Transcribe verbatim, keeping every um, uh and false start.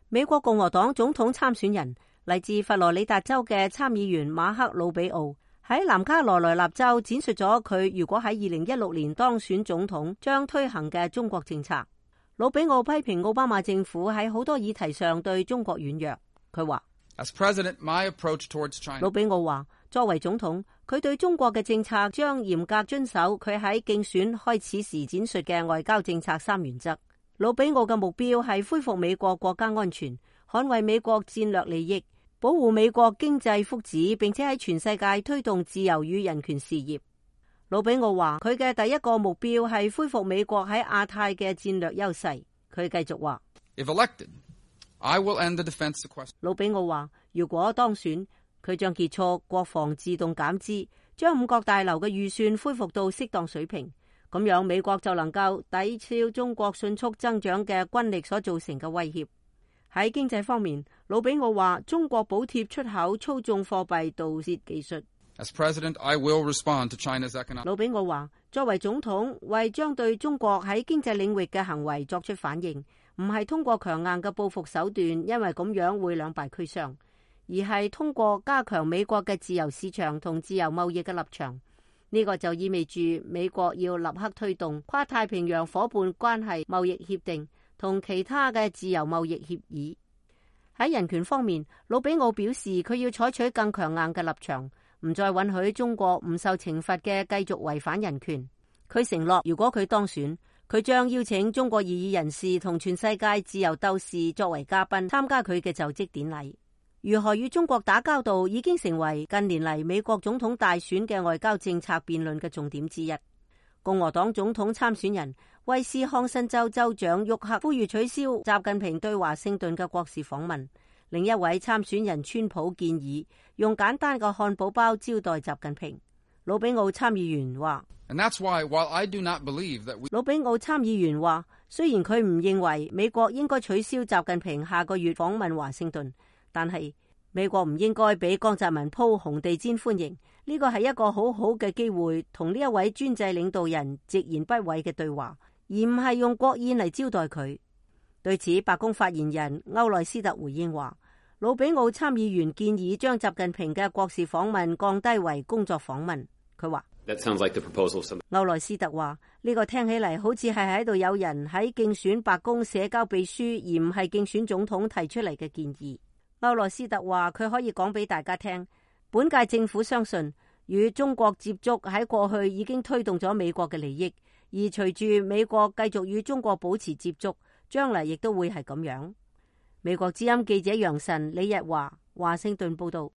美國共和黨總統參選人嚟自佛羅里達州嘅參議員馬克魯比奧喺南卡羅來納州展述咗佢如果喺二零一六年當選總統將推行嘅中國政策。魯比奧批評奧巴馬政府喺好多議題上對中國軟弱。佢話，As President, my approach towards China. 魯比奧話，作為總統，佢對中國嘅政策將嚴格遵守佢喺競選開始時展述嘅外交政策三原則。魯比奧嘅目標係恢復美國國家安全，捍衛美國戰略利益，保護美國經濟福祉，並且喺全世界推動自由與人權事業。魯比奧話，佢嘅第一個目標係恢復美國喺亞太嘅戰略優勢。佢繼續話，If elected, I will end the defense sequestration. 魯比奧話，如果當選，佢將結束國防自動減資，將五角大樓嘅預算恢復到適當水平。咁樣美國就能夠抵消中國迅速增長嘅軍力所造成嘅威脅。喺經濟方面，魯比奧話中國補貼出口操縱貨幣盜竊技術。As President, I will respond to China's economic. 魯比奧話，作為總統，為將對中國喺經濟領域嘅行為作出反應，唔係通過強硬嘅報復手段，因為咁樣會兩敗俱傷，而係通過加強美國嘅自由市場同自由貿易嘅立場。呢個就意味住美國要立刻推動跨太平洋夥伴關係貿易協定同其他嘅自由貿易協議。喺人權方面，魯比奧表示佢要採取更強硬嘅立場，唔再允許中國唔受懲罰嘅繼續違反人權。佢承諾，如果佢當選，佢將邀請中國異議人士同全世界自由鬥士作為嘉賓參加佢嘅就職典禮。如何與中國打交道已經成為近年嚟美國總統大選嘅外交政策辯論嘅重點之一。共和黨總統參選人威斯康辛州州長沃克呼籲取消習近平對華盛頓嘅國事訪問。另一位參選人川普建議用簡單嘅漢堡包招待習近平。魯比奧參議員話，And that's why, while I do not believe that we... 魯比奧參議員話，雖然佢唔認為美國應該取消習近平下個月訪問華盛頓，但係美國唔應該俾江澤民鋪紅地毯歡迎。呢個係一個好好嘅機會，同呢一位專制領導人直言不諱嘅對話，而唔係用國宴嚟招待佢。對此，白宮發言人歐萊斯特回應話，魯比奧參議員建議將習近平嘅國事訪問降低為工作訪問。佢話，That sounds like the proposal of some... 歐萊斯特話，呢個聽起嚟好似係喺度有人喺競選白宮社交秘書，而唔係競選總統提出嚟嘅建議。歐萊斯特話，佢可以講俾大家聽，本屆政府相信與中國接觸喺過去已經推動咗美國嘅利益，而隨住美國繼續與中國保持接觸，將來亦都會係咁樣。美國之音記者楊晨、李日華，華盛頓報道。